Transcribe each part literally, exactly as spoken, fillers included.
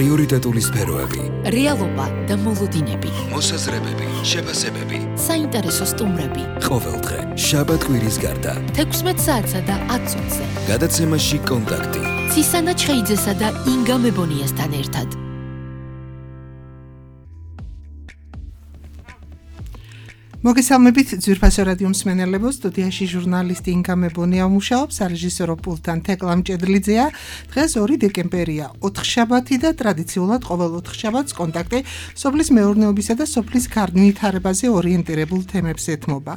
პრიორიტეტული სფეროები, რეალობა და მოლოდინები, მოსაზრებები, შეფასებები, საინტერესო სტუმრები. ყოველდღე, შაბათ-კვირის გარდა, თექვსმეტ საათსა და ათ წუთზე. გადაცემაში კონტაქტი. ცისანა ჩხეიძესა და ინგა მებონიასთან ერთად. მოგესალმებით ძვირფასო რადიო მსმენელებო, სტუდიაში ჟურნალისტი ინგა მებონია მუშაობს, სარეჟისორო პულტთან თეკლა მჭედლიძეა. დღეს ორი დეკემბერია, ოთხშაბათი და ტრადიციულად ყოველ ოთხშაბათს კონტაქტი სოფლის მეურნეობისა და სოფლის განვითარებაზე ორიენტირებულ თემებს ეთმობა.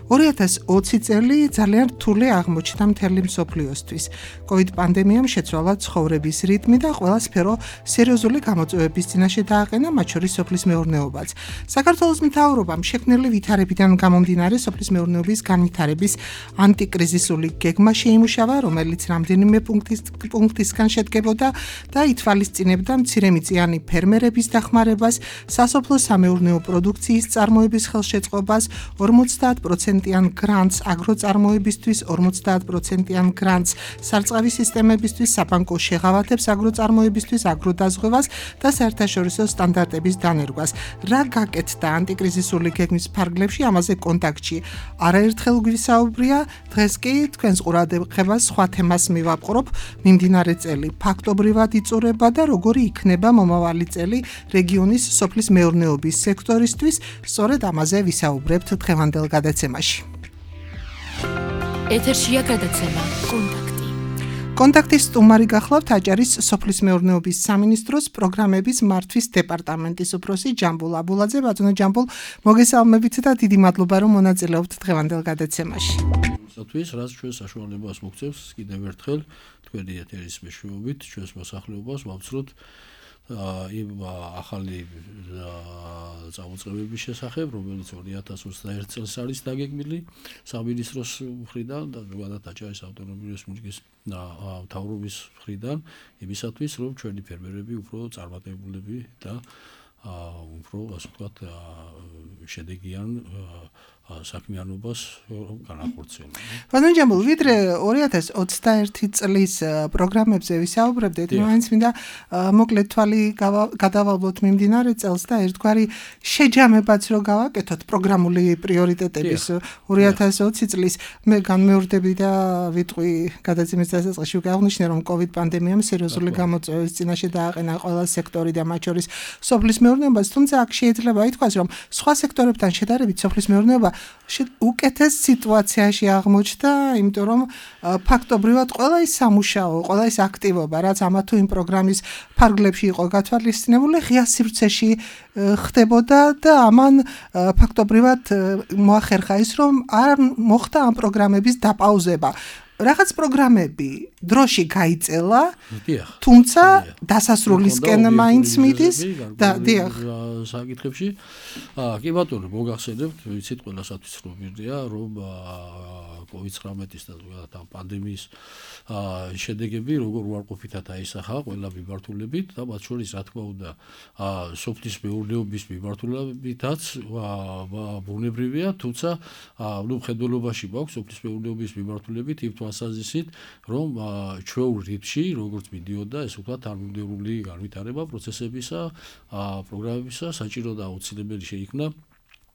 ორი ათას ოცი წელი ძალიან რთული აღმოჩნდა მთელი მსოფლიოსთვის. კოვიდ პანდემიამ შეცვალა ცხოვრების რიტმი და ყველა სფერო სერიოზული გამოწვევების წინაშე დააყენა, მათ შორის სოფლის მეურნეობაც. საქართველოს მთავრობამ შექმნილი ვითარებიდან გამომდინარე სოფლის მეურნეობის განვითარების ანტიკრიზისული გეგმა შეიმუშავა, რომელიც რამდენიმე პუნქტის პუნქტისგან შედგებოდა და ითვალისწინებდა მცირემიწიანი ფერმერების დახმარებას, სასოფლო სამეურნეო პროდუქციის წარმოების ხელშეწყობას, ორმოცდაათ პროცენტიან გრანტს აგროწარმოებისთვის, ორმოცდაათ პროცენტიან გრანტს სარწყავი სისტემებისთვის, საბანკო შეღავათებს აგროწარმოებისთვის, აგროდაზღვევას და საერთაშორისო სტანდარტების დანერგვას. რა გაკეთდა ანტიკრიზისული გეგმის ფარგლებში, ამაზე კონტაქტში არაერთხელ გვისაუბრია. დღეს კი თქვენს ყურადღებას სხვა თემას მივაპყრობ. მიმდინარე წელი ფაქტობრივად იწურება და როგორი იქნება მომავალი წელი რეგიონის სოფლის მეურნეობის სექტორისთვის. სწორედ ამაზე ვისაუბრებთ დღევანდელ გადაცემაში. ეთერშია გადაცემა კონტაქტი. კონტაქტის სტუმარი გახლავთ აჭარის სოფლის მეურნეობის სამინისტროს პროგრამების მართვის დეპარტამენტის უფროსი ჯამბულ აბულაძე. ბატონო ჯამბულ, მოგესალმებით და დიდი მადლობა რომ მონაწილეობთ დღევანდელ გადაცემაში. თვის რაც ჩვენ საშუალებას მოგცევს კიდევ ერთხელ თქვენი ეთერის მეშვეობით ჩვენს მოსახლეობას ვავწროთ იმ ახალი წამოწყებების შესახებ, რომელიც ორი ათას ოცდაერთი წელს არის დაგეგმილი სამინისტროს მხრიდან და ზოგადად აჭარის ავტონომიური რესპუბლიკის მთავრობის მხრიდან, იმისათვის, რომ ჩვენი ფერმერები უფრო წარმატებულები და უფრო, ასე ვთქვათ, შედეგიან საქმიანობას განახორციელონ. ბატონო ჯამბულ, ვიდრე ორი ათას ოცდაერთი წლის პროგრამებზე ვისაუბრებდით, მაინც მინდა მოკლედ თვალი გადავალოთ მიმდინარე წელს და ერთგვარი შეჯამებაც რო გავაკეთოთ პროგრამული პრიორიტეტების ორი ათას ოცი წლის. მე განმეორდები და ვიტყვი გადაცემის დასაწყისში ვაღვნიშნე, რომ კოვიდ პანდემიამ სერიოზული გამოწვევების წინაშე დააყენა ყველა სექტორი და მათ შორის სოფლის მეურნეობას, თუმცა აქ შეიძლება ითქვას, რომ სხვა სექტორებთან შედარებით სოფლის მეურნეობა უკეთეს სიტუაციაში აღმოჩნდა, იმიტომ რომ ფაქტობრივად ყველა ის სამუშაო, ყველა ის აქტივობა, რაც ამა თუ იმ პროგრამის ფარგლებში იყო გათვალისწინებული, ღია სივრცეში ხდებოდა და ამან ფაქტობრივად მოახერხა ის, რომ არ მოხდა ამ პროგრამების დაპაუზება. რაღაც პროგრამები დროში გაიწელა, თუმცა დასასრულისკენ მაინც მიდის და დიახ საკითხებში. კი ბატონო, მოგახსენებთ, ვიცით ყველასათვის რომ მირდია, რომ კოვიდ ცხრამეტის და ზოგადად ამ პანდემიის შედეგები როგორ უარყოფითად აისახა ყველა მიმართულებით და მათ შორის რა თქმა უნდა სოფლის მეურნეობის მიმართულებითაც ბუნებრივია, თუმცა ნუ მხედველობაში მაქვს სოფლის მეურნეობის მიმართულებით იმ თვალსაზრისით, რომ ჩვეულ რიტმში როგორც მიდიოდა, ესე ვთქვათ, თანმიმდევრული განვითარება პროცესებისა, პროგრამებისა საჭირო და აუცილებელი შეიქმნა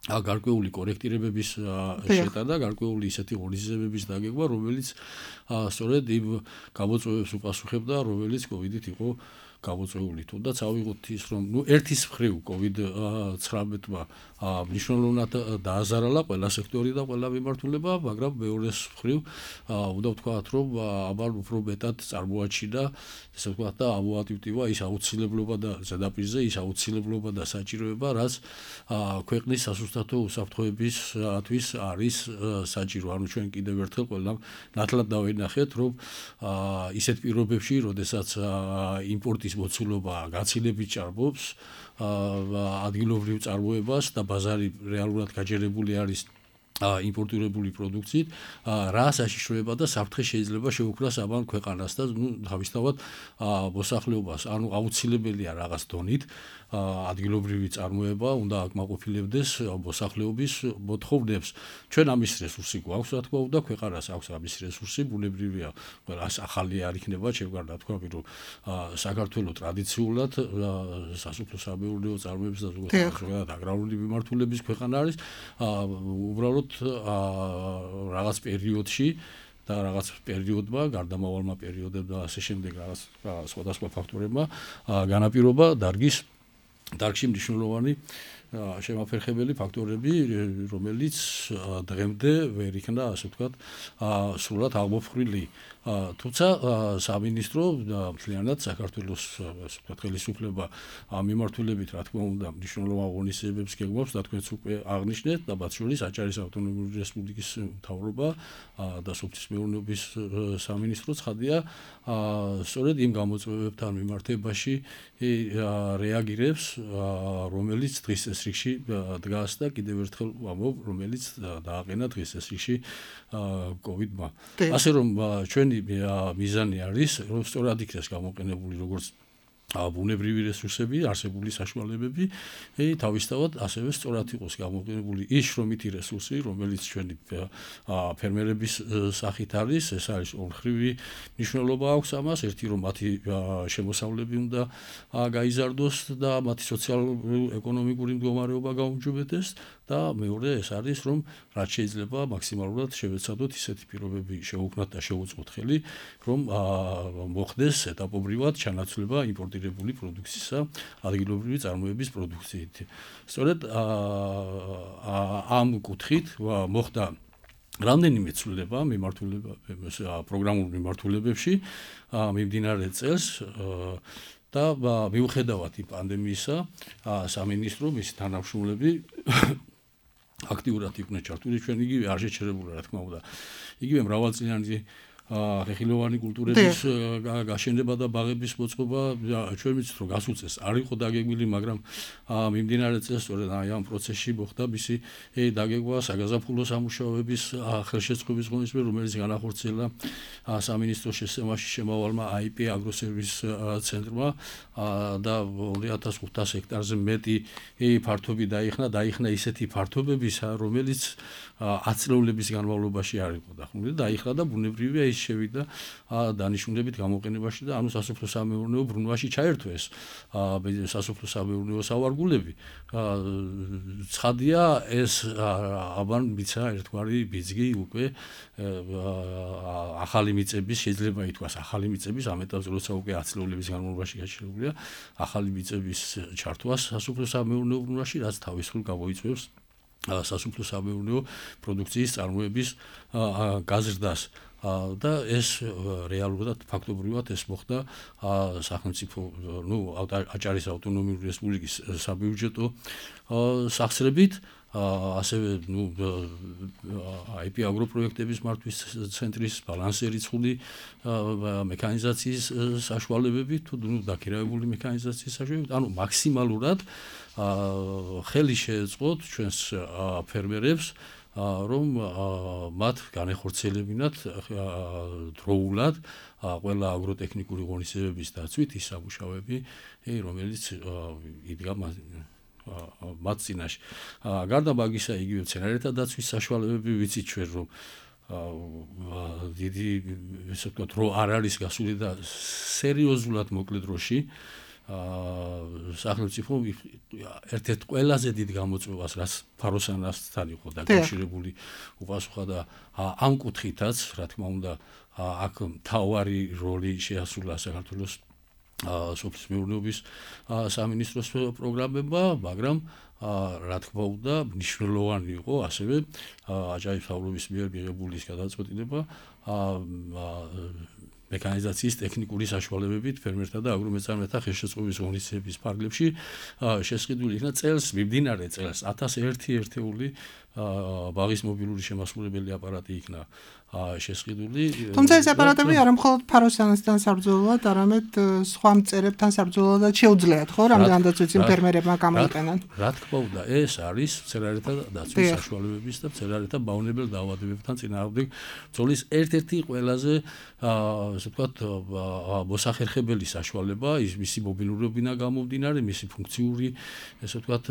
გარკვეული კორექტირებების შეტანა, გარკვეული ისეთი ღონისძიებების დაგეგმა, რომელიც სწორედ იმ გამოწვევებს უპასუხებდა, რომელიც კოვიდით იყო გამოწვეული. თუნდაც ავიღოთ ის, რომ ნუ ერთის მხრივ კოვიდ ცხრამეტმა მნიშვნელოვნად დააზარალა ყველა სექტორი და ყველა მიმართულება, მაგრამ მეორეს მხრივ უნდა ვთქვათ, რომ ამან უფრო მეტად წარმოაჩინა, ესე ვთქვათ, და ამოატივტივა ის აუცილებლობა და ზედაპირზე ის აუცილებლობა და საჭიროება, რაც ქვეყნის სასუსტათო უსაფრთხოებისთვის არის საჭირო. ანუ ჩვენ კიდევ ერთხელ ყველამ ნათლად დავინახეთ, რომ ისეთ პირობებში, როდესაც იმპორტის მოცულობა გაცილებით ჭარბობს ადგილობრივ წარმოებას და ბაზარი რეალურად გაჯერებული არის იმპორტირებული პროდუქციით, რა საშიშროება და საფრთხე შეიძლება შეუქმნას ამან ქვეყანას და ნუ თავისთავად მოსახლეობას, ანუ აუცილებელია რაღაც დონით ადგილობრივი წარმოება უნდა აკმაყოფილებდეს მოსახლეობის მოთხოვნებს. ჩვენ ამის რესურსი გვაქვს, რა თქმა უნდა, ქვეყანას აქვს ამის რესურსი, ბუნებრივია, ყველას ახალი არ იქნება, შევგარდა თქვა, რომ საქართველოს ტრადიციულად სასოფლო-სამეურნეო წარმოების და ზოგადად აგრარული მიმართულების ქვეყანა არის, უბრალოდ რაღაც პერიოდში და რაღაც პერიოდმა, გარდამავალმა პერიოდებმა და ასე შემდეგ რაღაც სხვადასხვა ფაქტორებმა განაპირობა დარგის დარგში მნიშვნელოვანი შემაფერხებელი ფაქტორები, რომელიც დღემდე ვერ იქნა, ასე ვთქვათ, სრულად აღმოფხვრილი. თუმცა სამინისტრო მთლიანად საქართველოს ასე ვთქვათ ხელისუფლება ამ მიმართულებით, რა თქმა უნდა, მნიშვნელოვან ღონისძიებებს გეგმავს და თქვენც უკვე აღნიშნეთ და მათ შორის აჭარის ავტონომიური რესპუბლიკის მთავრობა და სოფლის მეურნეობის სამინისტრო ცხადია, სწორედ იმ გამოწვევებთან მიმართებაში რეაგირებს, რომელიც დღის წესრიგში დგას და კიდევ ერთხელ ვამბობ, რომელიც დააყენა დღის წესრიგში კოვიდმა. ასე რომ ჩვენი მიზანი არის, რომ სწორად იქნეს გამოყენებული როგორც ბუნებრივი რესურსები, არსებული საშუალებები, თავისთავად ასევე სწორად იყოს გამოყენებული ის შრომითი რესურსი, რომელიც ჩვენი ფერმერების სახით არის, ეს არის ორმხრივი მნიშვნელობა აქვს ამას, ერთი რომ მათი შემოსავლები უნდა გაიზარდოს და მათი სოციალურ-ეკონომიკური მდგომარეობა გაუმჯობესდეს და მეორე ეს არის რომ რაც შეიძლება მაქსიმალურად შევეცადოთ ისეთი პირობები შევუქმნათ და შევუწყოთ ხელი, რომ მოხდეს ეტაპობრივად ჩანაცვლება იმპორტირებული პროდუქციისა ადგილობრივი წარმოების პროდუქციით. სწორედ ამ კუთხით მოხდა რამდენიმე ცვლილება მიმართულება პროგრამულ მიმართულებებში მიმდინარე წელს და მიუხედავად იმ პანდემიისა სამინისტრო მისი თანამშრომლები აქტიურად იყვნენ ჩართული, ჩვენ იგივე არ შეჩერებულა, რა თქმა უნდა. იგივე მრავალწლიანი ხეხილოვანი კულტურების გაშენება და ბაღების მოწყობა, ჩვენ ვიცით რომ გასულ წელს არ იყო დაგეგმილი, მაგრამ მიმდინარე წელს სწორედ ამ პროცესში მოხდა მისი დაგეგმვა საგაზაფხულო სამუშაოების ხელშეწყობის ღონისძიება, რომელიც განახორციელა სამინისტროს შესწევაში შემავალმა აი პი აგროსერვის ცენტრმა და ორი ათას ხუთას ჰექტარზე მეტი ფართობი დაიხნა, დაიხნა ისეთი ფართობებისა, რომელიც ათწლეულების განმავლობაში არ იყო დახმული, დაიხნა და ბუნებრივია ის შევიდა დანიშნულებით გამოყენებაში და ანუ სასოფლო-სამეურნეო ბრუნვაში ჩაერთვეს სასოფლო-სამეურნეო სავარგულები. ცხადია ეს ამან მიცა ერთგვარი ბიძგი უკვე ახალი მიწების შეიძლება ითქვას ახალი მიწების ამ ეტაპზე როცა უკვე ათწლეულების განმავლობაში გაჩერებულია ახალი მიწების ჩართვას სასოფლო-სამეურნეო ბრუნვაში, რაც თავის მხრივ გამოიწვევს სასოფლო-სამეურნეო პროდუქციის წარმოების გაზრდას. და ეს რეალურად ფაქტობრივად ეს მოხდა სახელმწიფო, ნუ აჭარის ავტონომიური რესპუბლიკის საბიუჯეტო სახსრებით, ასევე ნუ აი პი აგროპროექტების მართვის ცენტრის ბალანსი რიცხული მექანიზაციის საშუალებებით, თუ ნუ დაქირავებული მექანიზაციის საშუალებებით, ანუ მაქსიმალურად ხელი შეეწყოთ ჩვენს ფერმერებს რომ მათ განეხორციელებინათ დროულად ყველა აგროტექნიკური ღონისძიებების დაცვით ის სამუშაოები, რომელიც იდგა მათ წინაშე. გარდა მაგისა, იგივე მცენარეთა დაცვის საშუალებები ვიცით ჩვენ რომ დიდი ესე ვთქვათ, რო არ არის გასული და სერიოზულად მოკლე დროში სახელმწიფო ერთ-ერთ ყველაზე დიდ გამოწვევას, რაც ფაროსანასთან იყო დაკავშირებული, უპასუხა და ამ კუთხითაც, რა თქმა უნდა, აქ მთავარი როლი შეასრულა საქართველოს სოფლის მეურნეობის სამინისტროს პროგრამებმა, მაგრამ რა თქმა უნდა, მნიშვნელოვანი იყო ასევე აჭარის მთავრობის მიერ მიღებული ის გადაწყვეტილება მექანიზაციის ტექნიკური საშუალებებით ფერმერთა და აგრომეწარმეთა ხელშეწყობის ღონისძიების ფარგლებში შესყიდული იქნა წელს, მიმდინარე წელს ათას ერთი ერთეული ბაღის მობილური შემასრულებელი აპარატი იქნა შესყიდული. თუმცა ეს აპარატები არა მხოლოდ ფაროსანასთან საბრძოლოა, არამედ სხვა მწერებთან საბრძოლოა შეუძლიათ, ხო, რამდენადაც ვიცი ფერმერებმა გამოიყენან. რა თქმა უნდა, ეს არის მცენარეთა დაცვის საშუალებების და მცენარეთა მავნებელ დაავადებებთან წინააღმდეგ ბრძოლის ერთ-ერთი ყველაზე ასე ვთქვათ მოსახერხებელი საშუალება, ის მისი მობილურობიდან გამომდინარე, მისი ფუნქციური ასე ვთქვათ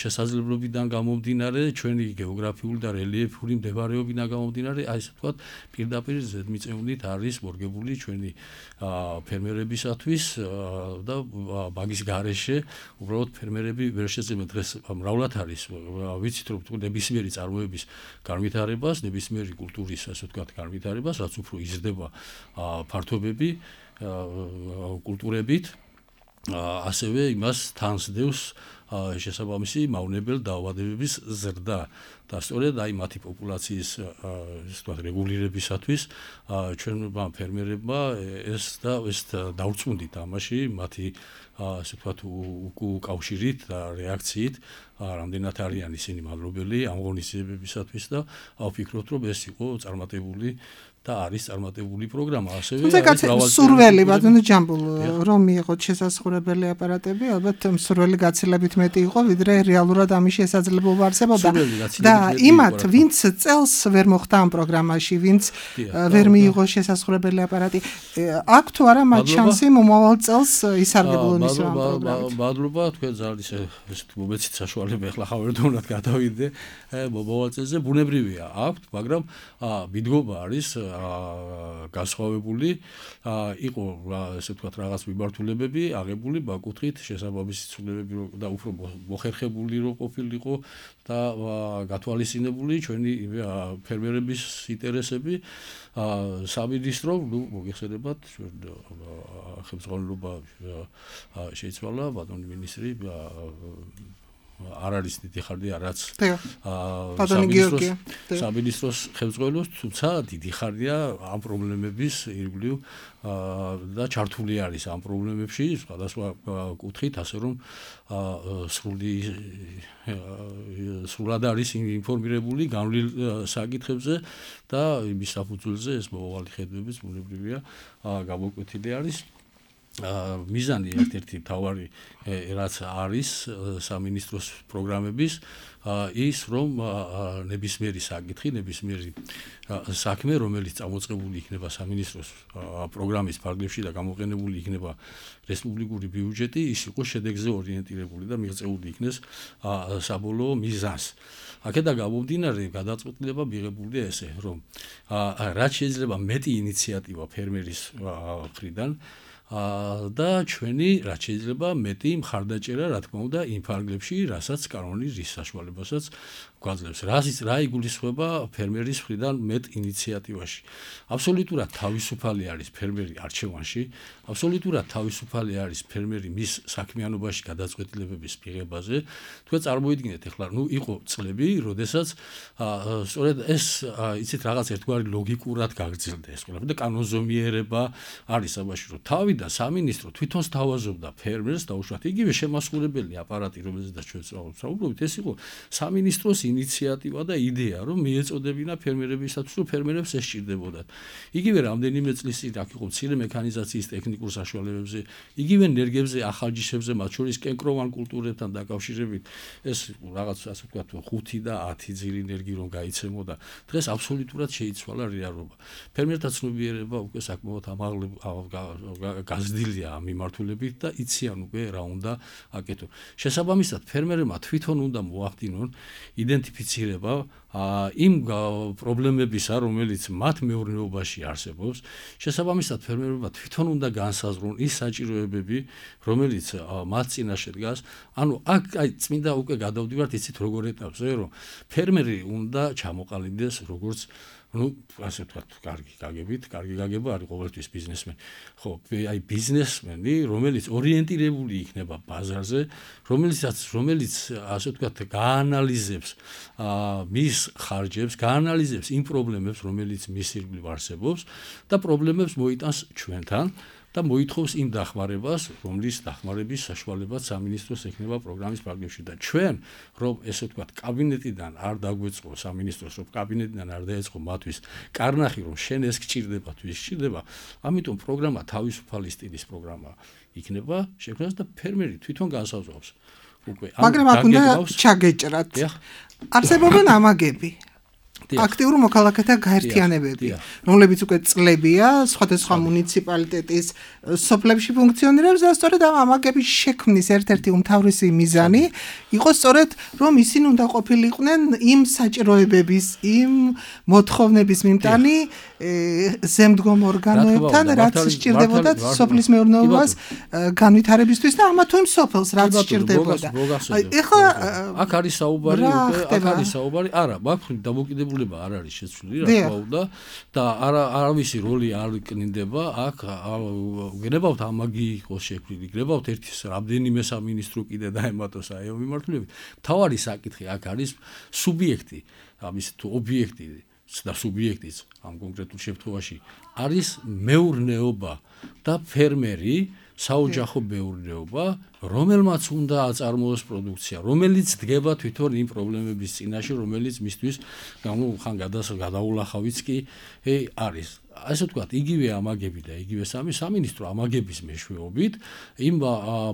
შესაძლებლობიდან გამომდინარე, ჩვენი გეოგრაფიული და რელიეფური მდებარეობიდან გამომდინარე, აი ესე ვთქვათ პირდაპირ ზედმიწევნით არის მორგებული ჩვენი ფერმერებისათვის და მაგის გარეშე უბრალოდ ფერმერები ვერ შეძლებენ დღეს მრავლად არის ვიცით რომ ნებისმიერი წარმოების განვითარებას, ნებისმიერი კულტურის ასე ვთქვათ განვითარებას, რაც უფრო იზრდება ფართობები კულტურებით, ასევე იმას თანსდევს შესაბამისი მავნებელ დაავადებების ზრდა და სწორედ აი მათი პოპულაციის ასე ვთქვათ რეგულირებისათვის ჩვენმა ფერმერებმა ეს და ეს დაუწმუნდით ამაში მათი ასე ვთქვათ უკავშირით და რეაქციით რამდენად არიან ისინი მადლობელი ამ ღონისძიებებისათვის და ვფიქრობთ რომ ეს იყო წარმატებული და არის წარმატებული პროგრამა ასევე არის მრავალი სურველი ბატონო ჯამბულ რომ მიიღოთ შესაძლებელი აპარატები ალბათ სურველი გაცილებით მეტი იყო ვიდრე რეალურად ამის შესაძლებლობა არსებობდა და იმათ ვინც წელს ვერ მოხდა ამ პროგრამაში ვინც ვერ მიიღო შესაძლებელი აპარატი აქ თუ არა მათ შანსი მომავალ წელს ისარგებლონ ის ამ პროგრამით მადლობა თქვენ ძალიან ესე მომეცით საშუალება ახლა ხავერდოვნად გადავიდე მომავალ წელზე ბუნებრივია აქვთ მაგრამ მიდგომა არის გასხოვებული იყო ესე ვთქვათ რაღაც მიმართულებები აღებული ბაკუთხით შესაბამისი ცვლილებები და უფრო მოხერხებული რო ყოფილიყო და გათვალისწინებული ჩვენი ფერმერების ინტერესები სამინისტრო ნუ მოგეხსენებათ ხელმძღვანელობა შეიცვალა ბატონი მინისტრი არ არის დიდი ხანია რაც სამინისტროს ხელმძღვანელობს თუმცა დიდი ხანია ამ პრობლემების ირგვლივ და ჩართული არის ამ პრობლემებში სხვადასხვა კუთხით ასე რომ სრული სრულად არის ინფორმირებული განვლილ საკითხებზე და იმის საფუძველზე ეს მომავალი ხედვებიც ბუნებრივია გამოკვეთილი არის მიზანი ერთ-ერთი თავარი რაც არის სამინისტროს პროგრამების ის რომ ნებისმიერი საკითხი, ნებისმიერი საქმე, რომელიც წამოწყებული იქნება სამინისტროს პროგრამის ფარგლებში და გამოყენებული იქნება რესპუბლიკური ბიუჯეტი, ის იყოს შედეგზე ორიენტირებული და მიღწეული იქნეს საბოლოო მიზანს. აქედან გამომდინარე გადაწყვეტილება მიღებულია ესე, რომ რაც შეიძლება მეტი ინიციატივა ფერმერის მხრიდან და ჩვენი რაც შეიძლება მეტი მხარდაჭერა რა თქმა უნდა იმ ფარგლებში, რასაც კანონი რის საშუალებასაც გვაძლევს. რაზეც რა იგულისხმება ფერმერის მხრიდან მეტ ინიციატივაში. აბსოლუტურად თავისუფალი არის ფერმერი არჩევანში, აბსოლუტურად თავისუფალი არის ფერმერი მის საქმიანობაში გადაწყვეტილებების მიღებაზე. თქვენ წარმოიდგინეთ ახლა, ნუ იყო წლები, როდესაც სწორედ ეს იცით რაღაც ერთგვარი ლოგიკურად გაგრძელდა ეს ყველაფერი და კანონზომიერება არის ამაში, რომ თავი და სამინისტრო თვითონ სთავაზობდა ფერმერს და უშუალოდ იგივე შემასრულებელი აპარატი, რომელზედაც ჩვენ ვსაუბრობთ, ეს იყო სამინისტროს ინიციატივა და იდეა, რომ მიეწოდებინა ფერმერებისათვის, რომ ფერმერებს ეს სჭირდებოდათ. იგივე რამდენიმე წლის წინ აქ იყო მცირე მექანიზაციის ტექნიკურ საშუალებებზე, იგივე ენერგიებზე, ახალჯიშებზე, მათ შორის კენკროვან კულტურებთან დაკავშირებით, ეს რაღაც ასე ვთქვათ, ხუთი და ათი ძირი ენერგი რომ გაიცემოდა. დღეს აბსოლუტურად შეიცვალა რეალობა. ფერმერთა ცნობიერება უკვე საკმაოდ ამაღლებული გაზრდილია ამ მიმართულებით და იციან უკვე რა უნდა აკეთონ. შესაბამისად, ფერმერებმა თვითონ უნდა მოახდინონ იდენტიფიცირება იმ პრობლემებისა, რომელიც მათ მეურნეობაში არსებობს. შესაბამისად, ფერმერებმა თვითონ უნდა განსაზღვრონ ის საჭიროებები, რომელიც მათ წინაშე დგას. ანუ აქ აი წმინდა უკვე გადავდივართ იცით როგორ ეტაპზე, რომ ფერმერი უნდა ჩამოყალიბდეს როგორც ну, ასე ვთქვათ, კარგი გაგებით, კარგი გაგება არის ყოველთვის ბიზნესმენი. ხო, აი ბიზნესმენი, რომელიც ორიენტირებული იქნება ბაზარზე, რომელიც რომელიც ასე ვთქვათ, გაანალიზებს მის ხარჯებს, გაანალიზებს იმ პრობლემებს, რომელიც მის ირგვლივ არსებობს და პრობლემებს მოიტანს ჩვენთან. და მოითხოვს იმ დახმარებას, რომლის დახმარების საშუალებაც სამინისტროს ექნება პროგრამის ფარგლებში და ჩვენ რომ ესე ვთქვათ კაბინეტიდან არ დაგვეწყო სამინისტროს რომ კაბინეტიდან არ დაეწყო მათთვის კარნახი რომ შენ ეს გჭირდება თუ ის გჭირდება, ამიტომ პროგრამა თავისუფალი სტილის პროგრამა იქნება შექმნას და ფერმერი თვითონ განსაზღვრავს უკვე მაგრამ აქ უნდა ჩაგეჭრათ არსებობენ ამაგები აქტიურ მოქალაქეთა გაერთიანებები, რომლებიც უკვე წლებია სხვადასხვა მუნიციპალიტეტის სოფლებში ფუნქციონირებს და სწორედ ამ ამაგების შექმნის ერთ-ერთი უმთავრესი მიზანი იყო სწორედ რომ ისინი უნდა ყოფილიყვნენ იმ საჭიროებების, იმ მოთხოვნების მიმტანი ზემდგომ ორგანოებთან, რაც სჭირდებოდათ სოფლის მეურნეობას განვითარებისთვის და ამა თუ იმ სოფელს რაც სჭირდებოდა. ეხლა აქ არის საუბარი უკვე, აქ არის საუბარი, არა, მაქვს დამოკიდებული არ არის შეცვლილი, რა თქმა უნდა და არა არავისი როლი არ კნინდება აქ გენებავთ ამაგი იყოს შექმნილი გენებავთ ერთის რამდენიმე სამინისტრო კიდე დაემატოს აი ამ მიმართულებით მთავარი საკითხი აქ არის სუბიექტი ამის თუ ობიექტი და სუბიექტიც ამ კონკრეტულ შემთხვევაში არის მეურნეობა და ფერმერი საოჯახო მეურნეობა რომელმაც უნდა აწარმოოს პროდუქცია, რომელიც დგება თვითონ იმ პრობლემების წინაშე, რომელიც მისთვის ანუ ხან გადაულახავიც კი არის. ასე ვთქვათ, იგივე ამაგები და იგივე სამი სამინისტრო ამაგების მეშვეობით იმ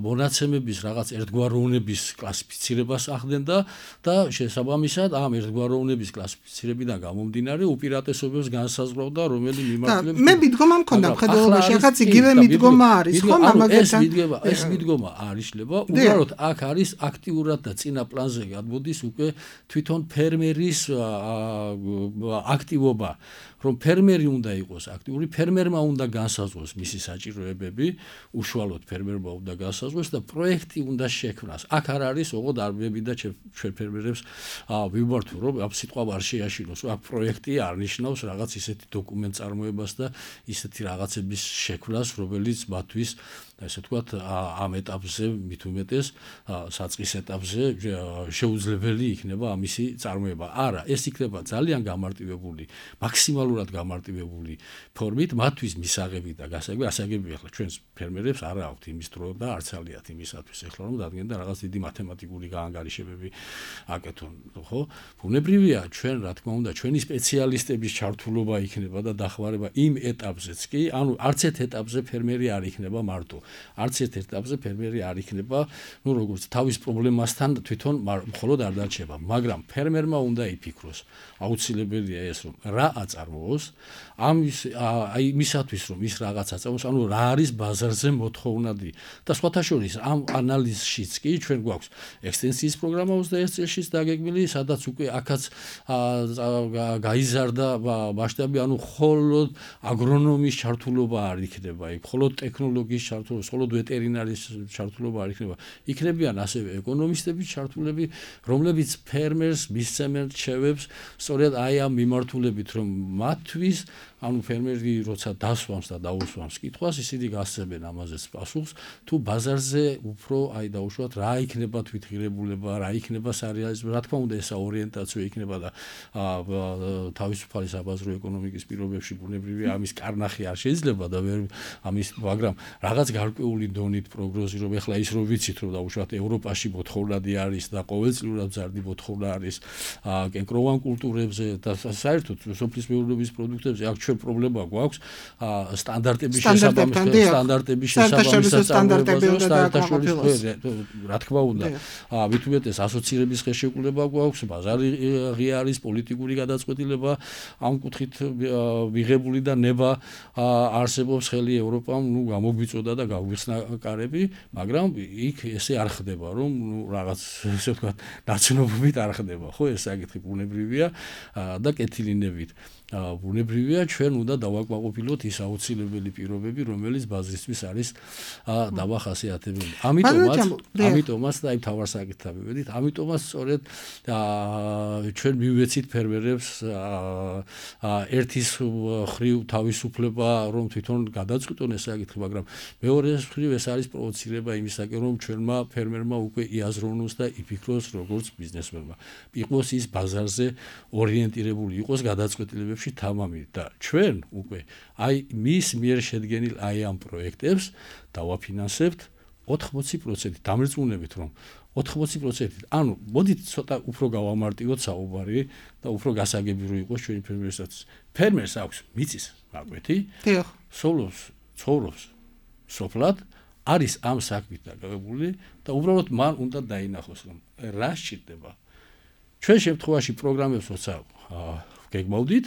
მონაცემების რაღაც ერთგვაროვნების კლასიფიცირებას ახდენ და და შესაბამისად ამ ერთგვაროვნების კლასიფიცირებიდან გამომდინარე უპირატესობებს განსაზღვრავდა რომელი მიმართულებით მე მიდგომა მქონდა მხედველობაში, ახაც იგივე მიდგომა არის, ხო, ამაგებთან. ეს მიდგომა, ეს მიდგომა არ იშლება, უბრალოდ აქ არის აქტიურად და წინა პლანზე გადმოდის უკვე თვითონ ფერმერის აქტივობა. რომ ფერმერი უნდა იყოს აქტიური, ფერმერმა უნდა განსაზღვროს მისი საჭიროებები, უშუალოდ ფერმერმა უნდა განსაზღვროს და პროექტი უნდა შექმნას. აქ არ არის ოღონდ არბები და ჩვენ ფერმერებს ვიბართო, რომ ამ სიტყვა არ შეაშინოს. აქ პროექტი არ ნიშნავს რაღაც ისეთი დოკუმენტ წარმოებას და ისეთი რაღაცების შექმნას, რომელიც მათთვის ესე ვთქვათ ამ ეტაპზე მით უმეტეს საწყის ეტაპზე შეუძლებელი იქნება ამისი წარმოება. არა, ეს იქნება ძალიან გამარტივებული, მაქსიმალურად გამარტივებული ფორმით, მათთვის მისაღები და გასაგები, ასაგები ახლა ჩვენს ფერმერებს არ აქვთ იმის დრო და არც ალიათ იმისათვის ახლა რომ დადგენ და რაღაც დიდი მათემატიკური გაანგარიშებები აკეთონ, ხო? ბუნებრივია ჩვენ რა თქმა უნდა ჩვენი სპეციალისტების ჩართულობა იქნება და დახმარება იმ ეტაპზეც კი, ანუ არც ერთ ეტაპზე ფერმერი არ იქნება მარტო. არც ერთ ეტაპზე ფერმერი არ იქნება, ну როგორც თავის პრობლემასთან თვითონ მხოლოდ არ დარჩება, მაგრამ ფერმერმა უნდა იფიქროს. აუცილებელია ეს რომ რა აწარმოოს, ამის აი მისათვის რომ ის რაღაც აწარმოოს, ანუ რა არის ბაზარზე მოთხოვნადი. და სხვათა შორის ამ ანალიზშიც კი ჩვენ გვაქვს ექსტენსიის პროგრამა ოცდაერთ წელშიც დაგეგმილი, სადაც უკვე აქაც გაიზარდა მასშტაბი, ანუ მხოლოდ აგრონომის ჩართულობა არ იქნება, იქ მხოლოდ ტექნოლოგიის ჩართულობა, მხოლოდ ვეტერინარის ჩართულობა არ იქნება. იქნებიან ასევე ეკონომისტების ჩართულები, რომლებიც ფერმერს მისცემენ რჩევებს სწორედ აი ამ მიმართულებით, რომ მათთვის ანუ ფერმერი როცა დასვამს და დაუსვამს კითხვას, ისინი გასცემენ ამაზეც პასუხს, თუ ბაზარზე უფრო აი დაუშვათ რა იქნება თვითღირებულება, რა იქნება სარეალიზმო, რა თქმა უნდა ესა ორიენტაცია იქნება და თავისუფალი საბაზრო ეკონომიკის პირობებში ბუნებრივია ამის კარნახი არ შეიძლება და ვერ ამის, მაგრამ რაღაც გარკვეული დონით პროგნოზი რომ ეხლა ის რომ ვიცით რომ დაუშვათ ევროპაში მოთხოვნადი არის და ყოველწლიურად მზარდი მოთხოვნა არის კენკროვან კულტურებზე და საერთოდ სოფლის მეურნეობის პროდუქტებზე აქ ჩვენ პრობლემა გვაქვს სტანდარტების შესაბამისად სტანდარტების შესაბამისად სტანდარტების რა თქმა უნდა მით უმეტეს ასოცირების ხელშეკრულება გვაქვს ბაზარი ღია არის პოლიტიკური გადაწყვეტილება ამ კუთხით მიღებული და ნება არსებობს ხელი ევროპამ ნუ გამოგვიწოდა და გაგვიხსნა კარები მაგრამ იქ ესე არ ხდება რომ რაღაც ესე ვთქვათ ნაცნობობით არ ხდება ხო ეს საკითხი ბუნებრივია და კეთილინებით ბუნებრივია ჩვენ უნდა დავაკმაყოფილოთ ის აუცილებელი პირობები რომელიც ბაზისთვის არის დამახასიათებელი ამიტომაც ამიტომაც და აი თავარ საკითხთან მივედით ამიტომაც სწორედ ჩვენ მივეცით ფერმერებს ერთის ხრივ თავისუფლება რომ თვითონ გადაწყვიტონ ეს საკითხი მაგრამ მეორე მეორე მხრივ ეს არის პროვოცირება იმისაკენ, რომ ჩვენმა ფერმერმა უკვე იაზროვნოს და იფიქროს როგორც ბიზნესმენმა. იყოს ის ბაზარზე ორიენტირებული იყოს გადაწყვეტილებებში თამამი და ჩვენ უკვე აი მის მიერ შედგენილ აი ამ პროექტებს დავაფინანსებთ ოთხმოცი პროცენტით, დამრწმუნებით რომ ოთხმოცი პროცენტით. ანუ მოდით ცოტა უფრო გავამარტივოთ საუბარი და უფრო გასაგები რო იყოს ჩვენი ფერმერსაც. ფერმერს აქვს მიწის გაკვეთი. დიახ. სოლოს, ცხოვრობს სოფლად, არის ამ საქმით დაკავებული და უბრალოდ მან უნდა დაინახოს რომ რა სჭირდება. ჩვენ შემთხვევაში პროგრამებს როცა გეგმავდით,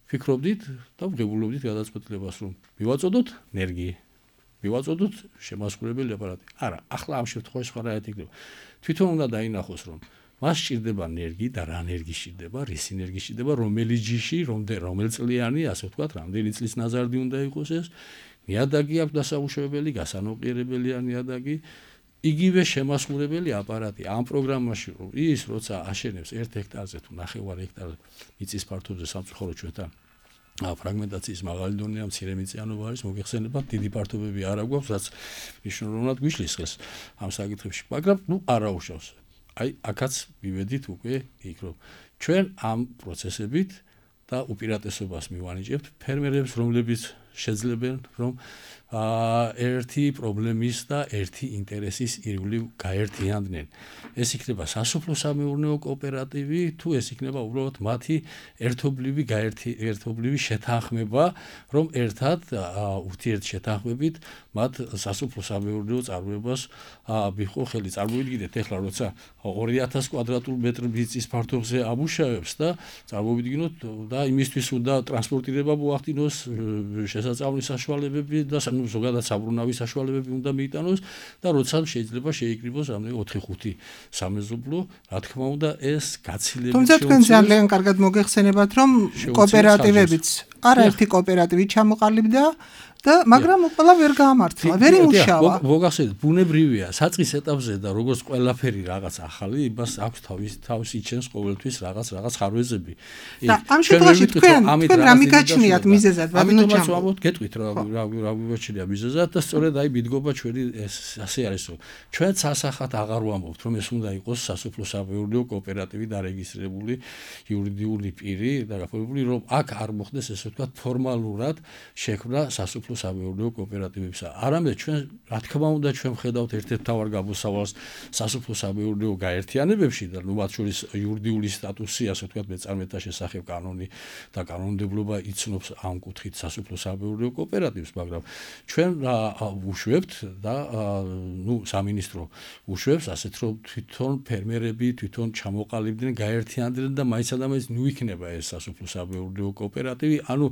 ფიქრობდით და ვღებულობდით გადაწყვეტილებას რომ მივაწოდოთ ენერგი მივაწოდოთ შემასრულებელი აპარატი. არა, ახლა ამ შემთხვევაში სხვა რა ეთიკდება. თვითონ უნდა დაინახოს რომ მას სჭირდება ენერგი და რა ენერგი სჭირდება, რის ენერგი სჭირდება, რომელი ჯიში, რომელი წლიანი, ასე ვთქვათ, რამდენი წლის ნაზარდი უნდა იყოს ეს. ნიადაგი აქვს დასამუშავებელი, გასანოყიერებელია ნიადაგი. იგივე შემასრულებელი აპარატი ამ პროგრამაში რომ ის როცა აშენებს ერთ ჰექტარზე თუ ნახევარ ჰექტარზე მიწის ფართობზე სამწუხაროდ ჩვენთან ფრაგმენტაციის მაღალი დონეა, მცირე მიწიანობა არის, მოგეხსენებათ, დიდი ფართობები არ აქვს, რაც მნიშვნელოვნად გვიშლის ხელს ამ საკითხებში, მაგრამ ნუ არა უშავს. აი, აქაც მივედით უკვე იქ რომ ჩვენ ამ პროცესებით და უპირატესობას მივანიჭებთ ფერმერებს, რომლებიც შეძლებენ რომ ერთი პრობლემის და ერთი ინტერესის ირგვლივ გაერთიანდნენ. ეს იქნება სასოფლო-სამეურნეო კოოპერატივი, თუ ეს იქნება უბრალოდ მათი ერთობლივი ერთობლივი შეთანხმება, რომ ერთად ურთიერთშეთანხმებით მათ სასოფლო-სამეურნეო წარმოებას მიჰყო ხელი. წარმოვიდგინეთ ეხლა როცა ორი ათას კვადრატულ მეტრ მიწის ფართობზე ამუშავებს და წარმოვიდგინოთ და იმისთვის უნდა ტრანსპორტირება მოახდინოს, შესაწავლის საშუალებები და ზოგადად საბრუნავი საშუალებები უნდა მიიტანოს და როცა შეიძლება შეიკრიბოს რამდენი ოთხი ხუთი სამეზობლო, რა თქმა უნდა ეს გაცილებით თუმცა თქვენ ძალიან კარგად მოგეხსენებათ რომ კოოპერატივებიც არაერთი კოოპერატივი ჩამოყალიბდა და მაგრამ ყველა ვერ გაამართლა, ვერ იმუშავა. მოგახსენეთ, ბუნებრივია, საწყის ეტაპზე და როგორც ყველაფერი რაღაც ახალი, იმას აქვს თავის თავს იჩენს ყოველთვის რაღაც რაღაც ხარვეზები. და ამ შემთხვევაში თქვენ თქვენ რა მიგაჩნიათ მიზეზად, ბატონო ამიტომაც ვამბობთ, გეტყვით რა რა მიგაჩნია მიზეზად და სწორედ აი მიდგომა ჩვენი ასე არის რომ ჩვენც ასახად აღარ ვამბობთ რომ ეს უნდა იყოს სასოფლო-სამეურნეო კოოპერატივი დარეგისტრირებული იურიდიული პირი და გაფორმებული რომ აქ არ მოხდეს ესე ვთქვათ ფორმალურად შექმნა სასოფლო-სამეურნეო კოოპერატივებისა. არამედ ჩვენ რა თქმა უნდა ჩვენ ვხედავთ ერთ-ერთ მთავარ გამოსავალს სასოფლო-სამეურნეო გაერთიანებებში და ნუ მათ შორის იურიდიული სტატუსი, ასე ვთქვათ, მეწარმეთა შესახებ კანონი და კანონმდებლობა იცნობს ამ კუთხით სასოფლო-სამეურნეო კოოპერატივს, მაგრამ ჩვენ ვუშვებთ და ნუ სამინისტრო უშვებს ასეთ რომ თვითონ ფერმერები თვითონ ჩამოყალიბდნენ, გაერთიანდნენ და მაინც და მაინც ნუ იქნება ეს სასოფლო-სამეურნეო კოოპერატივი, ანუ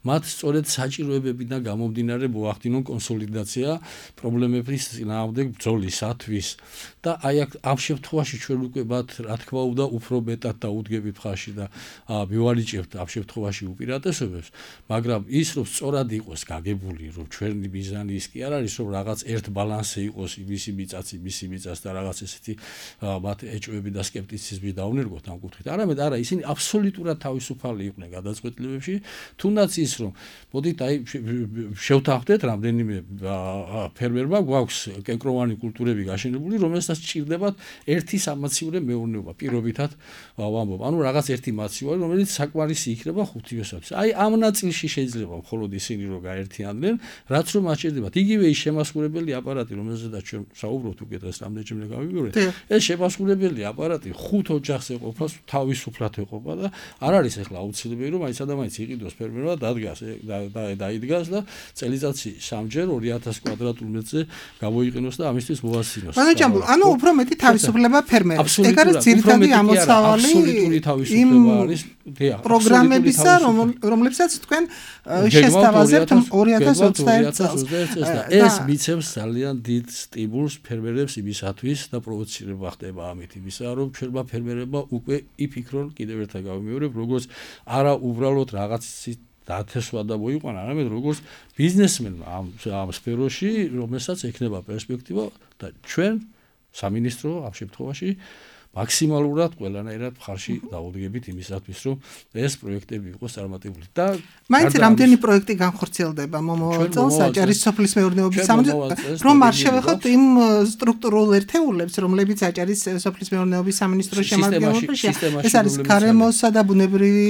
მათ სწორედ საჭიროებებიდან გამომდინარე მოახდინონ კონსოლიდაცია პრობლემების წინააღმდეგ ბრძოლისათვის და აი ამ შემთხვევაში ჩვენ უკვე მათ რა თქმა უნდა უფრო მეტად დაუდგებით ხარში და მივანიჭებთ ამ შემთხვევაში უპირატესობებს, მაგრამ ის რომ სწორად იყოს გაგებული, რომ ჩვენი მიზანი ის კი არ არის რომ რაღაც ერთ ბალანსი იყოს იმისი მიწაცი, მისი მიწას და რაღაც ესეთი მათ ეჭვები და სკეპტიციზმი დაუნერგოთ ამ კუთხით. არამედ არა, ისინი აბსოლუტურად თავისუფალი იყვნენ გადაწყვეტილებებში, თუნდაც ის რომ მოდით აი შევთანხმდეთ რამდენიმე ფერმერმა გვაქვს კენკროვანი კულტურები გაშენებული, რომელსაც სჭირდებათ ერთი სამაცივრე მეურნეობა პირობითად ვამბობ. ანუ რაღაც ერთი მაცივარი, რომელიც საკმარისი იქნება ხუთივესაც. აი ამ ნაწილში შეიძლება მხოლოდ ისინი რომ გაერთიანდნენ, რაც რომ აჭირდებათ. იგივე ის შემასრულებელი აპარატი, რომელზედაც ჩვენ საუბრობთ უკვე დღეს რამდენჯერმე გავიგებთ, ეს შემასრულებელი აპარატი ხუთ ოჯახს ეყოფა, თავისუფლად ეყოფა და არ არის ახლა აუცილებელი რომ აიცა და მაინც იყიდოს ფერმერმა დადგას და დაიდგას და წელიწადში სამჯერ ორი ათას კვადრატულ მეტრზე გამოიყენოს და ამისთვის მოასწინოს. ბატონო ჯამბულ, ანუ უფრო მეტი თავისუფლება ფერმერებს. ეგ არის ძირითადი ამოცავალი აბსოლუტური თავისუფლება არის პროგრამებისა, რომლებსაც თქვენ შესთავაზებთ ორი ათას ოცდაერთ წელს. ეს მიცემს ძალიან დიდ სტიმულს ფერმერებს იმისათვის და პროვოცირება ხდება ამით იმისა, რომ ჩვენმა ფერმერებმა უკვე იფიქრონ, კიდევ ერთხელ გავიმეორებ, როგორც არა უბრალოდ რაღაცის დათესვა და მოიყვანა, არამედ როგორც ბიზნესმენმა ამ ამ სფეროში, რომელსაც ექნება პერსპექტივა და ჩვენ სამინისტრო ამ შემთხვევაში მაქსიმალურად ყველანაირად მხარში დავუდგებით იმისათვის, რომ ეს პროექტები იყოს წარმატებული. და მაინც რამდენი პროექტი განხორციელდება მომავალ წელს აჭარის სოფლის მეურნეობის სამინისტროს, რომ არ შევეხოთ იმ სტრუქტურულ ერთეულებს, რომლებიც აჭარის სოფლის მეურნეობის სამინისტროს შემადგენლობაშია. ეს არის გარემოსა და ბუნებრივი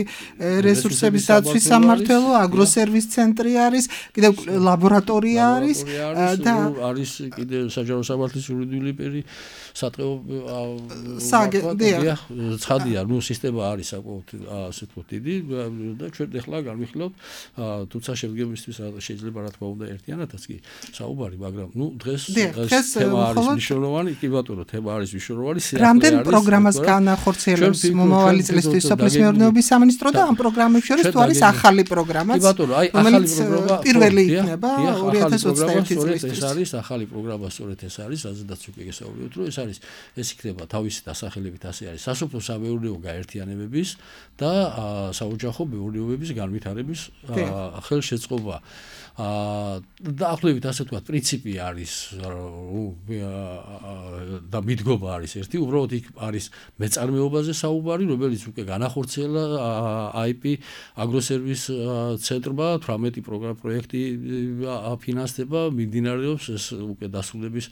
რესურსების დაცვის სამმართველო, აგროსერვის ცენტრი არის, კიდევ ლაბორატორია არის და არის კიდევ საჯარო სამართლის იურიდიული პერი სატყეო საგედია ცხადია, ნუ სისტემა არის საკმაოდ ასე თქო დიდი და ჩვენ ახლა განვიხილავთ, თუმცა შემდგომისთვის შეიძლება რა თქმა უნდა ერთიანადაც კი საუბარი, მაგრამ ნუ დღეს დღეს თემა არის მნიშვნელოვანი, კი ბატონო, თემა არის მნიშვნელოვანი, სიახლე არის. რამდენ პროგრამას განახორციელებს მომავალი წლისთვის სოფლის მეურნეობის სამინისტრო და ამ პროგრამებს შორის თუ არის ახალი პროგრამაც? კი ბატონო, აი ახალი პროგრამა პირველი იქნება ორი ათას ოცდაერთი წლის. ეს არის ახალი პროგრამა, სწორედ ეს არის, რაზედაც უკვე გესაუბრეთ, რომ ეს არის ეს იქნება თავისი დასახელებით ასე არის სასოფლო სამეურნეო გაერთიანებების და საოჯახო მეურნეობების განვითარების ხელშეწყობა. დაახლოებით ასე ვთქვათ, პრინციპი არის და მიდგომა არის ერთი, უბრალოდ იქ არის მეწარმეობაზე საუბარი, რომელიც უკვე განახორციელა აი პი აგროსერვის ცენტრმა, თვრამეტი პროექტი აფინანსდება, მიმდინარეობს ეს უკვე დასრულების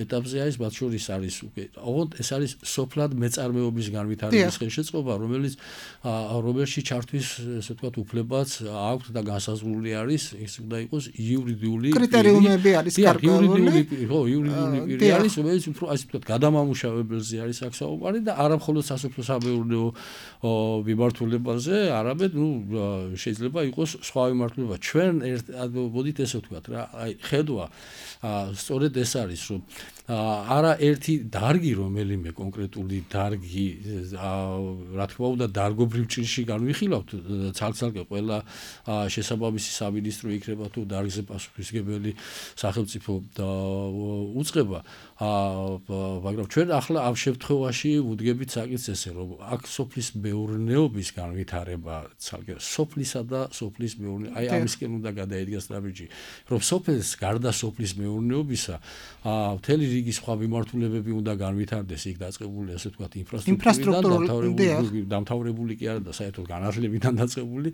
ეტაპზე არის, მათ შორის არის უკვე ოღონდ ეს არის სოფლად მეწარმეობის განვითარების ხელშეწყობა, რომელიც რომელში ჩართვის ესე ვთქვათ უფლებაც აქვს და განსაზღვრული არის, ეს უნდა იყოს იურიდიული კრიტერიუმები არის კარგული, ხო, იურიდიული პირი არის, რომელიც უფრო ასე ვთქვათ გადამამუშავებელზე არის აქ საუბარი და არა მხოლოდ სასოფლო სამეურნეო მიმართულებაზე, არამედ ნუ შეიძლება იყოს სხვა მიმართულება. ჩვენ მოდით ესე ვთქვათ რა, აი ხედვა სწორედ ეს არის, რომ არა ერთი დარგი, რომელიმე კონკრეტული დარგი, რა თქმა უნდა, დარგობრივ ჭირში განვიხილავთ, ცალ-ცალკე ყველა შესაბამისი სამინისტრო იქნება თუ დარგზე პასუხისმგებელი სახელმწიფო უწყება, მაგრამ ჩვენ ახლა ამ შემთხვევაში ვუდგებით საკითხს ესე, რომ აქ სოფლის მეურნეობის განვითარება, ცალკე სოფლისა და სოფლის მეურნეობის, აი ამისკენ უნდა გადაედგას ნაბიჯი, რომ სოფლის გარდა სოფლის მეურნეობისა, მთელი რიგი სხვა მიმართულებები უნდა განვითარდეს, იქ დაწყებული ასე ვთქვათ ინფრასტრუქტურიდან, დამთავრებული კი არა და საერთოდ განათლებიდან დაწყებული,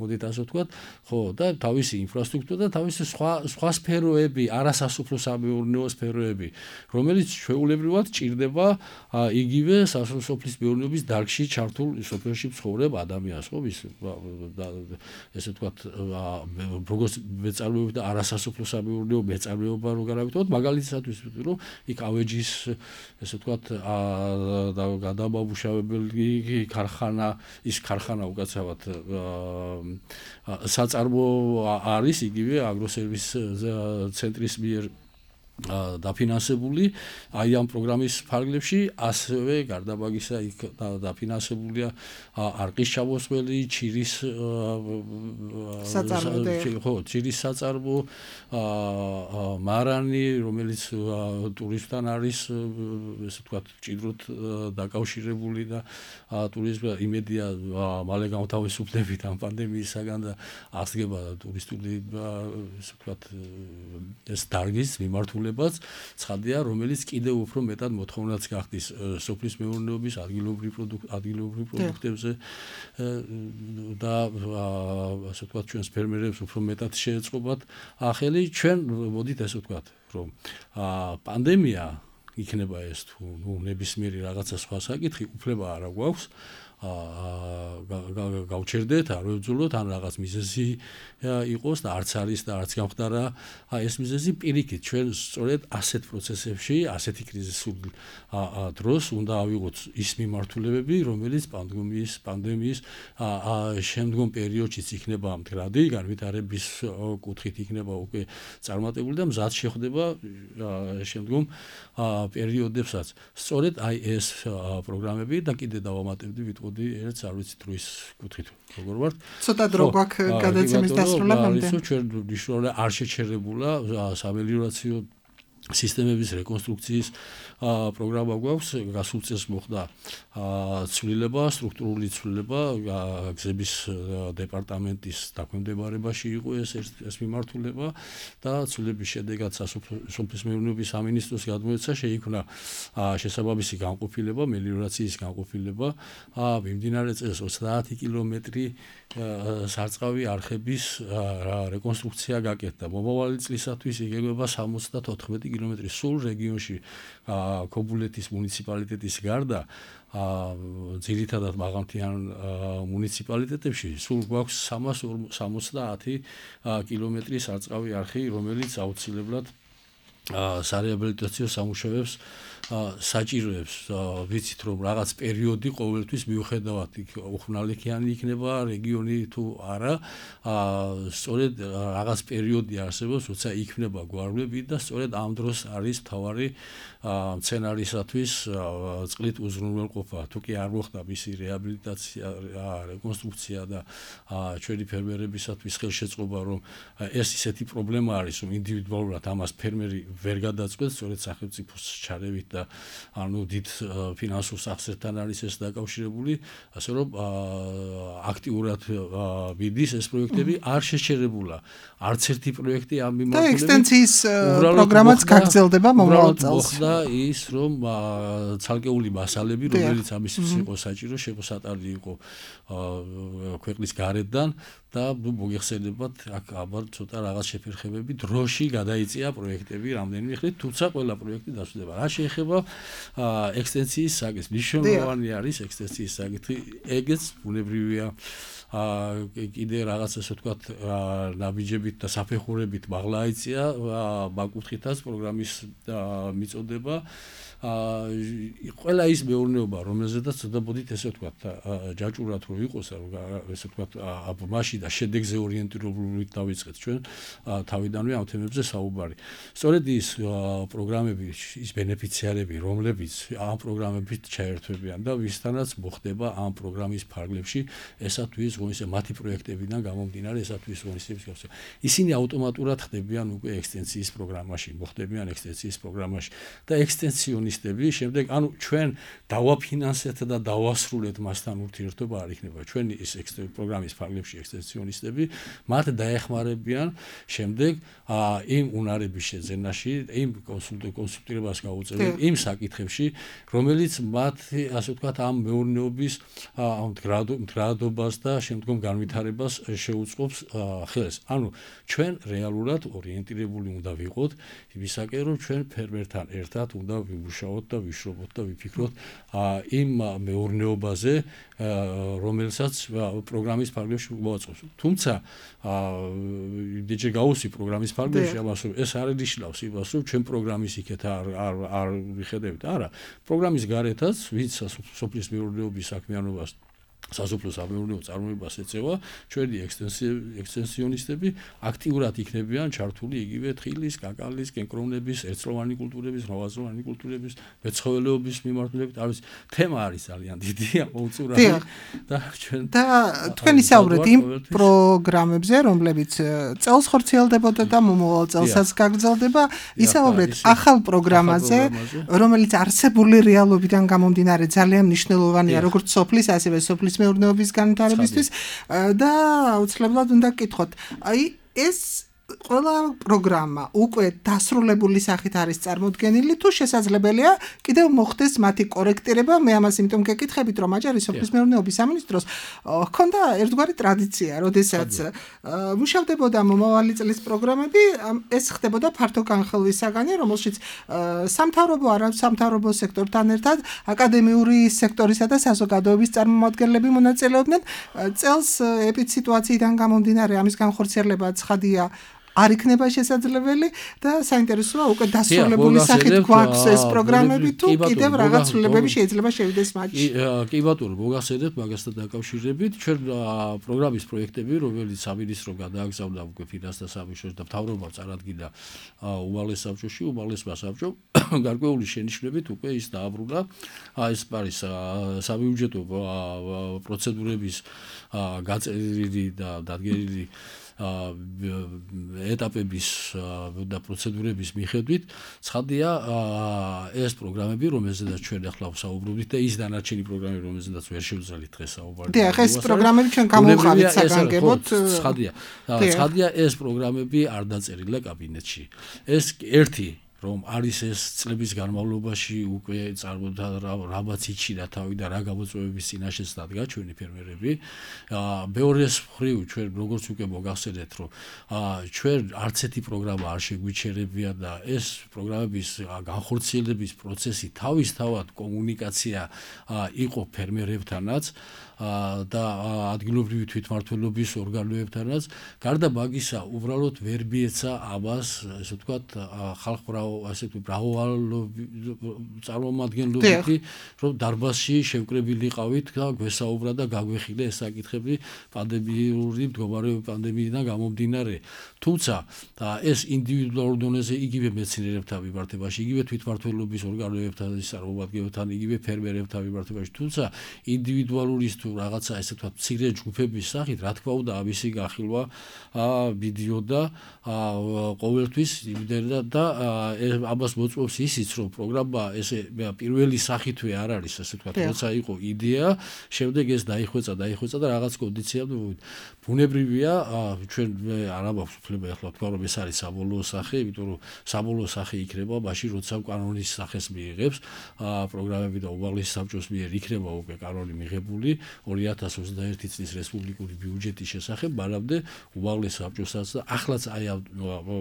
მოდით ასე ვთქვათ, ხო, და თავისი ინფრასტრუქტურა და თავისი სხვა სხვა სფეროები, არასასოფლო სამეურნეო სფეროები, რომელიც ჩვეულებრივად ჭირდება იგივე სასოფლის მეურნეობის დარგში ჩართულ სოფელში მცხოვრებ ადამიანს, ხო, ის ესე ვთქვათ, როგორც მეწარმეობა და არასასოფლო სამეურნეო მეწარმეობა რო განავითაროთ, მაგალითისათვის რომ იქ ავეჯის ესე ვთქვათ გადამამუშავებელი ქარხანა, ის ქარხანა უკაცრავად საწარმო არის იგივე აგროსერვის ცენტრის მიერ დაფინანსებული, აი ამ პროგრამის ფარგლებში, ასევე გარდა მაგისა იქ დაფინანსებულია არყის ჩამოსველი, ჩირის ხო, ჩირის საწარმო, მარანი, რომელიც ტურიზმთან არის, ესე ვთქვათ, ჭიდროდ დაკავშირებული და ტურიზმი იმედია მალე გამთავისუფლებით ამ პანდემიისაგან და აღსდგება ტურისტული ესე ვთქვათ ეს დარგის მიმართულება ცხადია, რომელიც კიდევ უფრო მეტად მოთხოვნაც გახდის სოფლის მეურნეობის ადგილობრივ ადგილობრივ პროდუქტებზე და ასე ვთქვათ ჩვენს ფერმერებს უფრო მეტად შეეწყობათ ახალი. ჩვენ მოდით ასე ვთქვათ, რომ პანდემია იქნება ეს თუ ნუ ნებისმიერი რაღაცა სხვა საკითხი, უფლება არა გვაქვს გავჩერდეთ, არ ვებრძოლოთ, ან რაღაც მიზეზი იყოს და არც არის და არც გამხდარა ეს მიზეზი, პირიქით ჩვენ სწორედ ასეთ პროცესებში, ასეთი კრიზისულ დროს უნდა ავიღოთ ის მიმართულებები, რომელიც პანდემიის პანდემიის შემდგომ პერიოდშიც იქნება მდგრადი, განვითარების კუთხით იქნება უკვე წარმატებული და მზად შეხვდება შემდგომ პერიოდებსაც. სწორედ აი ეს პროგრამები და კიდე დავამატებდი ვიტყოდი ერთ არ ვიცით როის კუთხით როგორ ვართ. ცოტა დრო გვაქვს გადაცემის დასრულებამდე. ჩვენ მნიშვნელოვნად არ შეჩერებულა სამელიორაციო სისტემების რეკონსტრუქციის პროგრამა გვაქვს, გასულ წელს მოხდა ცვლილება, სტრუქტურული ცვლილება, გზების დეპარტამენტის დაქვემდებარებაში იყო ეს ეს მიმართულება და ცვლილების შედეგად სოფლის-მეურნეობის სამინისტროს გადმოეცა, შეიქმნა შესაბამისი განყოფილება, მელიორაციის განყოფილება, მიმდინარე წელს ოცდაათი კილომეტრი სარწყავი არხების რეკონსტრუქცია გაკეთდა. მომავალი წლისათვის იგეგმება სამოცდათოთხმეტი კილომეტრი სულ რეგიონში ქობულეთის მუნიციპალიტეტის გარდა ძირითადად მაღალმთიან მუნიციპალიტეტებში სულ გვაქვს სამას სამოცდაათი კილომეტრი სარწყავი არხი, რომელიც აუცილებლად სარეაბილიტაციო სამუშაოებს საჭიროებს. ვიცით რომ რაღაც პერიოდი ყოველთვის მიუხედავად უხნალიქიანი იქნება რეგიონი თუ არა, სწორედ რაღაც პერიოდი არსებობს, როცა იქნება გვარვლები და სწორედ ამ დროს არის მთავარი მცენარისათვის წყლით უზრუნველყოფა. თუ კი არ მოხდა მისი რეაბილიტაცია, რეკონსტრუქცია და ჩვენი ფერმერებისათვის ხელშეწყობა, რომ ეს ისეთი პრობლემა არის, რომ ინდივიდუალურად ამას ფერმერი ვერ გადაწყვეტს, სწორედ სახელმწიფოს ჩარევით და ანუ დიდ ფინანსურ სახსრებთან არის ეს დაკავშირებული, ასე რომ აქტიურად მიდის ეს პროექტები, არ შეჩერებულა არც ერთი პროექტი ამ მიმართულებით. და ექსტენციის პროგრამაც გაგრძელდება მომავალ წელს. მოხდა ის, რომ ცალკეული მასალები, რომელიც ამისთვის იყო საჭირო, შემოსატანილი იყო ქვეყნის გარედან და მოგეხსენებათ, აქ აბარ ცოტა რაღაც შეფერხებები დროში გადაიწია პროექტები რამდენიმე ხნით, თუმცა ყველა პროექტი დასრულდება. რა შეეხება ექსტენციის საკითხს, მნიშვნელოვანი არის ექსტენციის საკითხი, ეგეც ბუნებრივია კიდე რაღაც ასე ვთქვათ ნაბიჯებით და საფეხურებით მაღლა აიწია მაგ-კუთხითაც პროგრამის მიწოდება. ყველა ის მეურნეობა, რომელზედაც ცოტაბოდით ესე ვთქვათ ჯაჭურად რო იყოს, ესე ვთქვათ მაშინ და შედეგზე ორიენტირებულით დავიწყეთ ჩვენ თავიდანვე ამ თემებზე საუბარი. სწორედ ის პროგრამები, ის ბენეფიციარები, რომლებიც ამ პროგრამებით ჩაერთვებიან და ვისთანაც მოხდება ამ პროგრამის ფარგლებში, ესა თუ ის ღონისძიება მათი პროექტებიდან გამომდინარე, ესა თუ ის ღონისძიების გავსება. ისინი ავტომატურად ხდებიან უკვე ექსტენციის პროგრამაში, მოხდებიან ექსტენციის პროგრამაში და ექსტენციონისტები შემდეგ, ანუ ჩვენ დავაფინანსეთ და დავასრულეთ მასთან ურთიერთობა არ იქნება. ჩვენი ის პროგრამის ფარგლებში ექსტენციონისტები მათ დაეხმარებიან შემდეგ იმ უნარების შეძენაში, იმ კონსულტირებას გაუწევენ იმ საკითხებში, რომელიც მათ ასე ვთქვათ ამ მეურნეობის ამ მდგრადობას და შემდგომ განვითარებას შეუწყობს ხელს. ანუ ჩვენ რეალურად ორიენტირებული უნდა ვიყოთ იმისაკენ, რომ ჩვენ ფერმერთან ერთად უნდა ვიმუშაოთ და ვიშრობოთ და ვიფიქროთ იმ მეურნეობაზე, რომელსაც პროგრამის ფარგლებში მოაწყობს. თუმცა იმდენჯერ გავუსვი პროგრამის ფარგლებში, ამას ეს არ ნიშნავს იმას, რომ ჩვენ პროგრამის იქეთ არ არ არ ვიხედავთ. არა, პროგრამის გარეთაც ვინც სოფლის მეურნეობის საქმიანობას სასოფლო სამეურნეო წარმოებას ეწევა, ჩვენი ექსტენსიონისტები აქტიურად იქნებიან ჩართული იგივე თხილის, კაკალის, კენკრონების, ერთწლოვანი კულტურების, მრავალწლოვანი კულტურების, მეცხოველეობის მიმართულებით. არის თემა არის ძალიან დიდი, მოუწურველი და ჩვენ და თქვენ ისაუბრეთ იმ პროგრამებზე, რომლებიც წელს ხორციელდებოდა და მომავალ წელსაც გაგრძელდება, ისაუბრეთ ახალ პროგრამაზე, რომელიც არსებული რეალობიდან გამომდინარე ძალიან მნიშვნელოვანია, როგორც სოფლის, ასევე სოფლის მეურნეობის განვითარებისთვის და აუცილებლად უნდა გკითხოთ. აი ეს ყველა პროგრამა უკვე დასრულებული სახით არის წარმოდგენილი, თუ შესაძლებელია კიდევ მოხდეს მათი კორექტირება. მე ამას იმიტომ გეკითხებით, რომ აჭარის სოფლის მეურნეობის სამინისტროს ჰქონდა ერთგვარი ტრადიცია, როდესაც მუშავდებოდა მომავალი წლის პროგრამები, ეს ხდებოდა ფართო განხილვისაგანი, რომელშიც სამთავრობო, არასამთავრობო სექტორთან ერთად აკადემიური სექტორისა და საზოგადოების წარმომადგენლები მონაწილეობდნენ. წელს ეპიდსიტუაციიდან გამომდინარე ამის განხორციელება ცხადია არ იქნება შესაძლებელი და საინტერესოა უკვე დასრულებული სახით გვაქვს ეს პროგრამები თუ კიდევ რაღაც ცვლილებები შეიძლება შევიდეს მათში. კი ბატონო, მოგახსენებთ მაგასთან დაკავშირებით, ჩვენ პროგრამის პროექტები, რომელიც სამინისტრო გადააგზავნა უკვე ფინანსთა სამინისტროს და მთავრობამ წარადგინა უმაღლეს საბჭოში, უმაღლესმა საბჭომ გარკვეული შენიშვნებით უკვე ის დააბრუნა. ეს არის საბიუჯეტო პროცედურების გაწერილი და დადგენილი ეტაპების და პროცედურების მიხედვით ცხადია ეს პროგრამები, რომელზედაც ჩვენ ახლა ვსაუბრობთ და ის დანარჩენი პროგრამები, რომელზედაც ვერ შევძლებთ დღეს საუბარი. დიახ, ეს პროგრამები ჩვენ გამოვხავით საგანგებოდ. ცხადია. ცხადია ეს პროგრამები არ დაწერილა კაბინეტში. ეს ერთი რომ არის ეს წლების განმავლობაში უკვე წარმოდა რაბაც იჩინა თავი და რა გამოწვევების წინაშეც დადგა ჩვენი ფერმერები. მეორეს მხრივ ჩვენ როგორც უკვე მოგახსენეთ რომ ჩვენ არც ერთი პროგრამა არ შეგვიჩერებია და ეს პროგრამების განხორციელების პროცესი თავისთავად კომუნიკაცია იყო ფერმერებთანაც და ადგილობრივი თვითმმართველობის ორგანოებთანაც. გარდა მაგისა, უბრალოდ ვერ მიეცა ამას, ესე ვთქვათ, ხალხბრაო, ასე ვთქვათ, წარმომადგენლობითი, რომ დარბაზში შევკრებილიყავით და გვესაუბრა და გაგვეხილე ეს საკითხები პანდემიური მდგომარეობის პანდემიიდან გამომდინარე. თუმცა ეს ინდივიდუალურ დონეზე იგივე მეცნიერებთან მიმართებაში, იგივე თვითმმართველობის ორგანოებთან წარმომადგენლებთან, იგივე ფერმერებთან მიმართებაში, თუმცა ინდივიდუალური რაღაცა ესე ვთქვათ მცირე ჯგუფების სახით, რა თქმა უნდა, ამისი განხილვა მიდიოდა ყოველთვის იმდენად და ამას მოწმობს ისიც, რომ პროგრამა ესე პირველი სახითვე არ არის, ასე ვთქვათ, როცა იყო იდეა, შემდეგ ეს დაიხვეწა, დაიხვეწა და რაღაც კონდიციამდე ბუნებრივია, ჩვენ არ ამაქვს უფლება ახლა ვთქვა, რომ ეს არის საბოლოო სახე, იმიტომ რომ საბოლოო სახე იქნება მაშინ, როცა კანონის სახეს მიიღებს პროგრამები და უმაღლესი საბჭოს მიერ იქნება უკვე კანონი მიღებული ორი ათას ოცდაერთი წლის რესპუბლიკური ბიუჯეტის შესახებ, მანამდე უმაღლეს საბჭოსაც და ახლაც აი ამ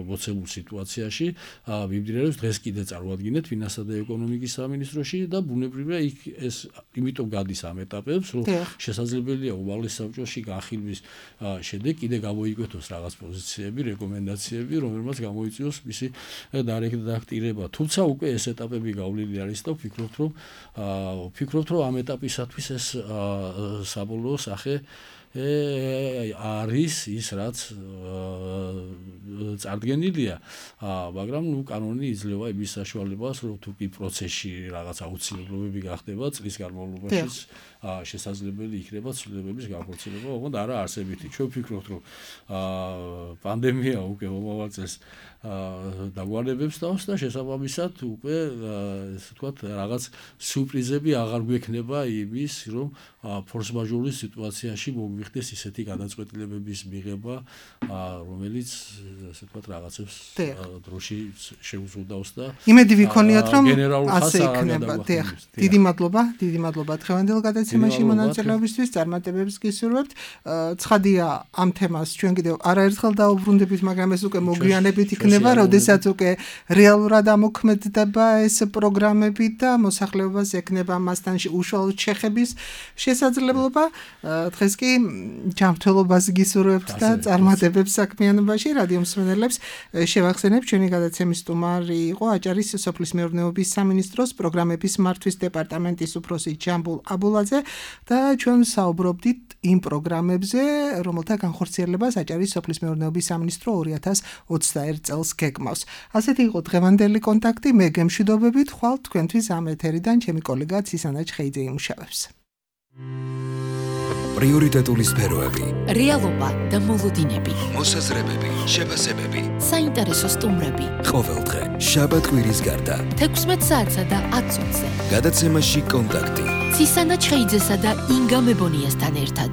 მოცემულ სიტუაციაში მიმდინარეობს. დღეს კიდე წარმოადგენთ ფინანსთა და ეკონომიკის სამინისტროში და ბუნებრივია იქ ეს იმიტომ გადის ამ ეტაპებს, რომ შესაძლებელია უმაღლეს საბჭოში განხილვის შემდეგ კიდე გამოიკვეთოს რაღაც პოზიციები, რეკომენდაციები, რომელმაც გამოიწვიოს მისი დარექტირება. თუმცა უკვე ეს ეტაპები გავლილი არის და ვფიქრობთ, რომ ვფიქრობთ, რომ ამ ეტაპისათვის ეს საბოლოო სახე არის ის, რაც წარდგენილია, მაგრამ ნუ კანონი იძლევა იმის საშუალებას, რომ თუ კი პროცესში რაღაც აუცილებლობები გახდება წლის განმავლობაში შესაძლებელი იქნება ცვლილებების განხორციელება, ოღონდ არა არსებითი. ჩვენ ვფიქრობთ, რომ პანდემია უკვე მომავალ წელს დაგვანებებს თავს და შესაბამისად უკვე ესე ვთქვათ რაღაც სიურპრიზები აღარ გვექნება იმის, რომ ფორს-მაჟორის სიტუაციაში მოგვიხდეს ისეთი გადაწყვეტილებების მიღება, რომელიც ასე ვთქვათ რაღაცებს დროში შეუზღუდავს და იმედი ვიქონიათ, რომ ასე იქნება. დიდი მადლობა, დიდი მადლობა დღევანდელ გადაცემაში მონაწილეობისთვის, წარმატებებს გისურვებთ. ცხადია, ამ თემას ჩვენ კიდევ არაერთხელ დაუბრუნდებით, მაგრამ ეს უკვე მოგვიანებით იქნება, როდესაც უკვე რეალურად ამოქმედდება ეს პროგრამები და მოსახლეობას ექნება მასთან უშუალოდ შეხების შესაძლებლობა. დღეს კი ჯანმრთელობას გისურვებთ და წარმატებებს საქმიანობაში. რადიო მსმენელებს შევახსენებ, ჩვენი გადაცემის სტუმარი იყო აჭარის სოფლის მეურნეობის სამინისტროს პროგრამების მართვის დეპარტამენტის უფროსი ჯამბულ აბულაძე და ჩვენ საუბრობდით იმ პროგრამებზე, რომელთა განხორციელებას აჭარის სოფლის მეურნეობის სამინისტრო ორი ათას ოცდაერთ წელს გეგმავს. ასეთი იყო დღევანდელი კონტაქტი. მე გემშვიდობებით, ხვალ თქვენთვის ამ ეთერიდან ჩემი კოლეგა ცისანა ჩხეიძე იმუშავებს. პრიორიტეტული სფეროები, რეალობა და მოლოდინები, მოსაზრებები, შეფასებები, საინტერესო სტუმრები. ყოველდღე, შაბათ-კვირის გარდა, თექვსმეტ საათსა და ათ წუთზე. გადაცემაში კონტაქტი. ცისანა ჩხეიძესა და ინგა მებონიასთან ერთად.